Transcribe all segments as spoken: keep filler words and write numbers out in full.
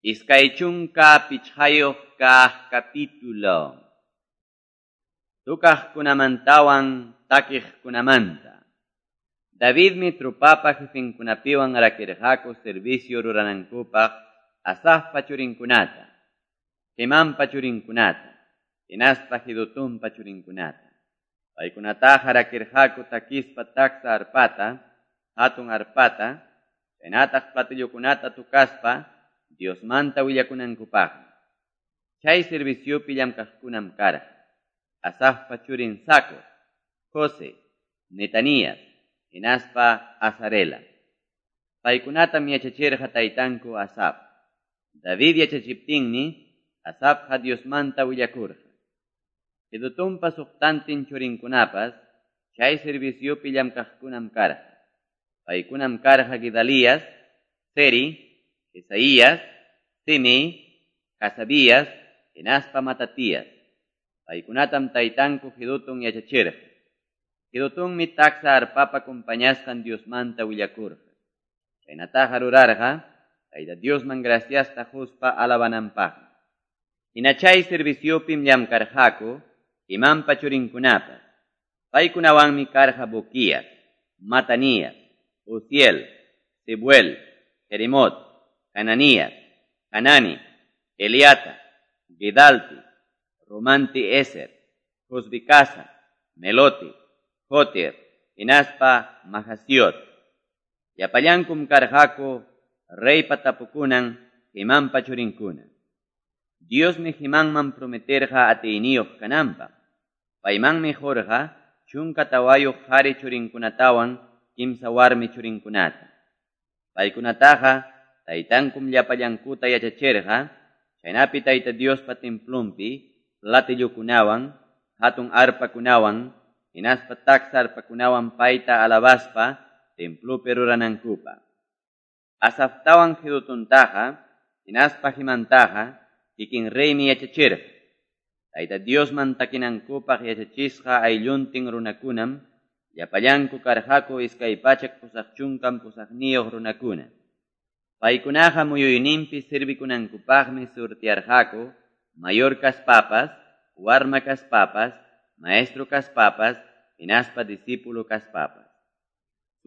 Iskay chunka pichqayuq kaq capítulo. Tukaqkunamantawan takiqkunamanta. Davidmi trupapa jefenkunapiwan rakirqaku servicio ruranankupaq Asafpa churinkunata, Hemanpa churinkunata, hinaspa Jedutunpa churinkunata. Paykunataqa rakirqaku takispa taksa arpata, hatun arpata, chaynataq platillokunata tukaspa Diosmanta willakunankupaqmi. Chay serviciopi llamkaqkunam karqa Asafpa churin Zacur, José, Netanías, hinaspa Azarela. Paykunatam yachachirqa taytanku Asaf. David yachachiptinmi Asafqa Diosmanta willakurqa. Jedutunpa suqtantin churinkunapas chay serviciopi llamkaqkunam karqa. Paykunam karqa Gedalías, Seri, Isaías, Simei, Hasabías, hinaspa Matatías. Paykunatam taytanku Jedutun yachachirqa. Jedutunmi taksa arpapa compañasqan Diosmanta willakurqa. Chaynataqa rurarqa Tayta Diosman graciasta quspa alabananpaqmi. Hina chay serviciopim llamkarqaku Hemanpa churinkunapas. Paykunawanmi karqa Buquías, Matanías, Uziel, Sebuel, Jeremot, Hananías, Hanani, Eliata, Gedalti, Romanti Eser, Josbicasa, Meloti, Jotir, hinaspa Mahasiot. Llapallankum karqaku reypa tapukunan Hemanpa churinkuna. Diosmi Hemanman prometerqa atiyniyuq kananpaq. Paymanmi qurqa chunka tawayuq qhari churinkunatawan kimsa warmi churinkunata. Paykunataqa taytankum llapallankuta yachachirqa, chaynapi Tayta Diospa templonpi platillokunawan, hatun arpakunawan, hinaspa taksa arpakunawan payta alabaspa templopi ruranankupaq. Asaftawan Jedutuntaqa, hinaspa Hemantaqa, kikin reymi yachachirqa. Tayta Diosman takinankupaq yachachisqa aylluntin runakunam, llapallanku karqaku iskay pachak pusaq chunkan pusaqniyuq runakuna. Paykunaqa muyuyninpi servikunankupaqmi surtiarqaku mayor kaspapas, warma kaspapas, maestro kaspapas, hinaspa discípulo kaspapas.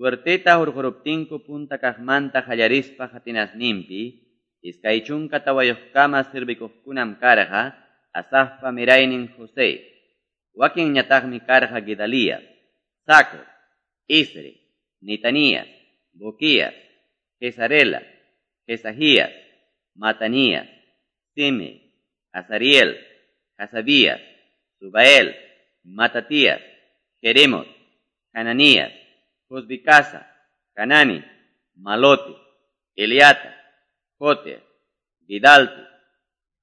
Suerteta hurquruptinku punta kaqmanta qallarispa qatinasninpi, iskay chunka tawayuqkama servikuqkunam karqa Asafpa miraynin José. Wakinñataqmi karqa Gedalías, Zacur, Isri, Netanías, Buquías, Jezarela, Jesajías, Matanías, Sime, Azariel, Hasabías, Subael, Matatías, Jeremot, Hananías, Josbicasa, Hanani, Maloti, Eliata, Joter, Gidalti,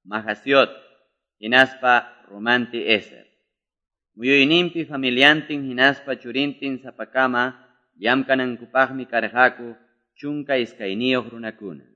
Mahasiot, hinaspa Romanti Eser. Muyuyninpi familiantin hinaspa churintin sapakama llamkanankupaqmi karqaku chunka iskayniyuq runakuna.